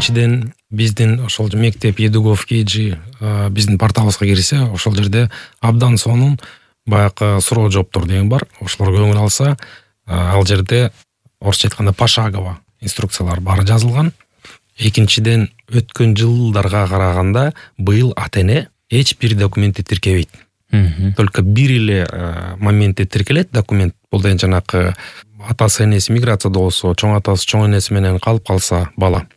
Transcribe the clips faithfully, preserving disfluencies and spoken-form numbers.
биринчиден биздин ошол мектеп Едугов Кеджи биздин порталыбызга кирсе, ошол жерде абдан сонун баягы суроо жооптор деген бар. Ошолорго көңүл алса, ал жерде орусча айтканда пошагово инструкциялар баары жазылган. Экинчиден, өткөн жылдарга караганда быйыл ата-эне эч бир документти тиркебейт. Только бир эле моментте тиркелет документ. Бул деген жанакы атасы энеси миграцияда болсо, чоң атасы чоң энеси менен калып калса бала.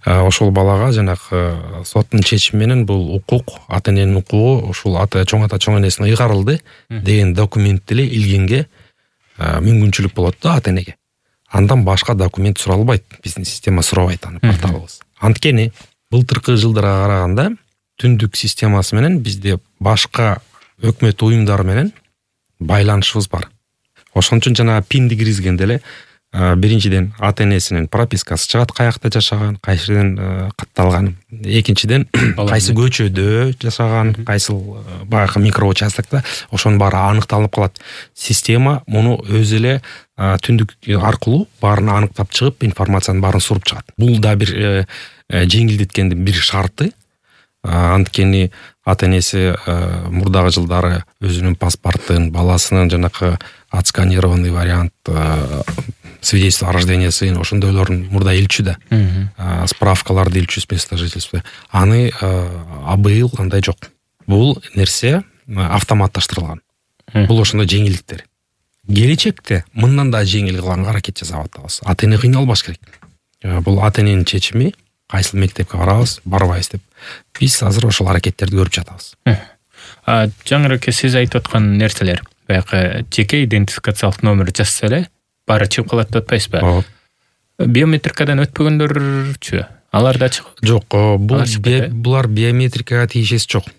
Ошол балага жанакы соттун чечими менен бул укук, ата-эненин укугу ушул ата чоң ата чоң энесине ыйгарылды деген документ эле илгенге мүмкүнчүлүк болот да ата-энеге. Андан башка документ суралбайт. Биздин система сурабайт аны порталыбыз. Анткени былтыркы жылдарга караганда түндүк системасы менен бизде башка өкмөт уюмдары менен байланышыбыз бар. Ошон үчүн жана пинди киргизгенде эле биринчиден ата-энесинин пропискасы чыгат, каякта жашаган, кайсы жерден катталган. Экинчиден кайсы көчөдө жашаган, кайсы баягы микроучастокто, ошонун баары аныкталып калат. Система муну өзү эле түндүк аркылуу баарын аныктап чыгып, информациянын баарын суруп чыгат. Бул да бир жеңилдеткендин бир шарты. Анткени ата-энеси мурдагы жылдары өзүнүн паспортун, баласынын жанакы отсканированный вариант свидетельство о рождениясы ошондойлорун мурда илчү да. Справкаларды илчү с места жительства. Аны абыйыл андай жок. Бул нерсе автоматташтырылган. Бул ошондой жеңилдиктер. Келечекте мындан да жеңил кылганга аракет жасап атабыз. Ата-эне кыйналбаш керек. Бул ата-эненин чечими, кайсыл мектепке барабыз, барбайбыз деп. Биз азыр ошол аракеттерди көрүп жатабыз. Жаңыраака сиз айтып аткан нерселер, баягы жеке идентификациялык номер жазса эле баары чыгып калат деп атпайсызбы? Биометрикадан өтпөгөндөрчү? Алар да чыгып? Жок, булар биометрикага тийишеси жок.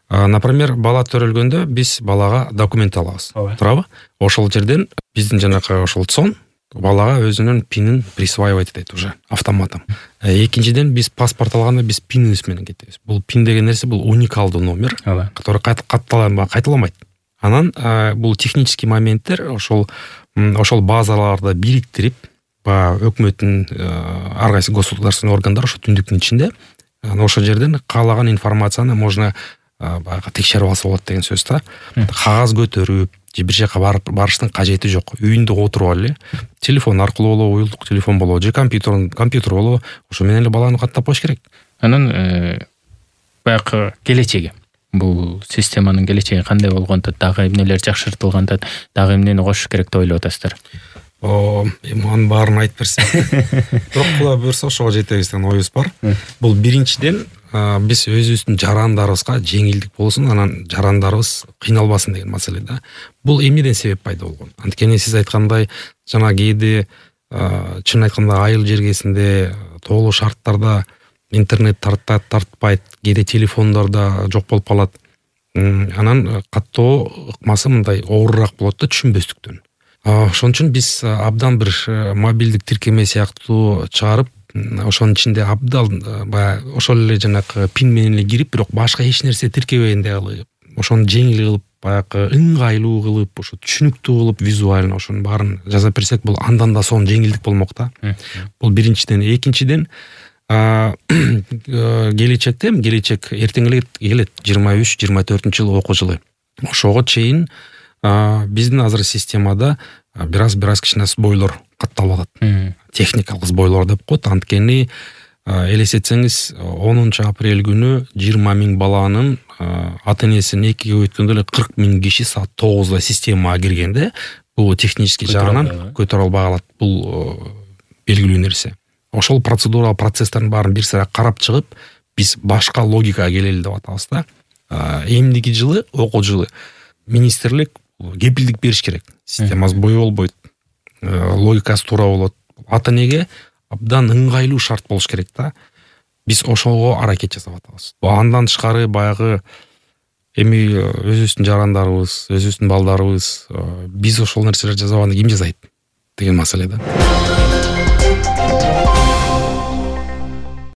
Например, бала төрөлгөндө биз балага документ алабыз. Туурабы? Ошол жерден биздин жанакы ошол ЦОН балага өзүнүн пинин присваивать этет уже автоматом. Экинчиден, биз паспорт алганда биз пинибиз менен кетебиз. Бул пин деген нерсе бул уникалдуу номер, который кайталамайт. Анан бул технический моменттер ошол ошол базаларды бириктирип, өкмөттүн ар кайсы государственный органдар ошо түндүктүн ичинде ошол жерден каалаган информацияны можно баягы текшерип алса болот деген сөз да. Кагаз көтөрүп, же бир жака барыштын кажети жок. Үйүндө отуруп эле телефон аркылуу болобу, уюлдук телефон болобу, же компьютер компьютер болобу, ошо менен эле баланы каттап коюш керек. Анан баягы келечеги, бул системанын келечеги кандай болгондо, дагы эмнелер жакшыртылганда, дагы эмнени кошуш керек деп ойлоп атасыздар? О, эманын баарын айтып берсем. Бирок кула буюрса ошого жетебиз деген оюбуз бар. Бул биринчиден биз өзүбүздүн жарандарыбызга жеңилдик болсун, анан жарандарыбыз кыйналбасын деген маселе да. Бул эмнеден себеп пайда болгон? Анткени сиз айткандай, жана кээде чын айтканда айыл жергесинде тоолуу шарттарда интернет тартат, тартпайт, кээде телефондордо жок болуп калат. Анан каттоо ыкмасы мындай оорураак болот да түшүнбөстүктөн. Ошон үчүн биз абдан бир мобилдик тиркеме сыяктуу чыгарып, ошонун ичинде абдан баягы ошол эле жанакы пин менен эле кирип, бирок башка эч нерсе тиркебегендей кылып, ошону жеңил кылып, баягы ыңгайлуу кылып, ошо түшүнүктүү кылып, визуально ошонун баарын жазап берсек, бул андан да сонун жеңилдик болмок да. Бул биринчиден. Экинчиден, келечекте, келечек эртең эле келет, жыйырма үч жыйырма төртүнчү жыл окуу жылы. Ошого чейин биздин азыр системада бир аз бир аз кичине сбойлор катталып атат. Техникалык сбойлор деп коет. Анткени элестетсеңиз, онунчу апрель күнү жыйырма миң баланын ата-энесин экиге өткөндө эле кырк миң киши саат тогузда системага киргенде, бул технический жагынан көтөрө албай калат. Бул белгилүү нерсе. Ошол процедуралык процесстердин баарын бир сыра карап чыгып, биз башка логикага келели деп атабыз да. Эмдиги жылы, окуу жылы министрлик кепилдик бериш керек. Система сбой болбойт. Логикасы туура болот. Ата-энеге абдан ыңгайлуу шарт болуш керек да. Биз ошого аракет жасап атабыз. Андан тышкары баягы эми өзүбүздүн жарандарыбыз, өзүбүздүн балдарыбыз, биз ошол нерселерди жасабаганда ким жасайт деген маселе да.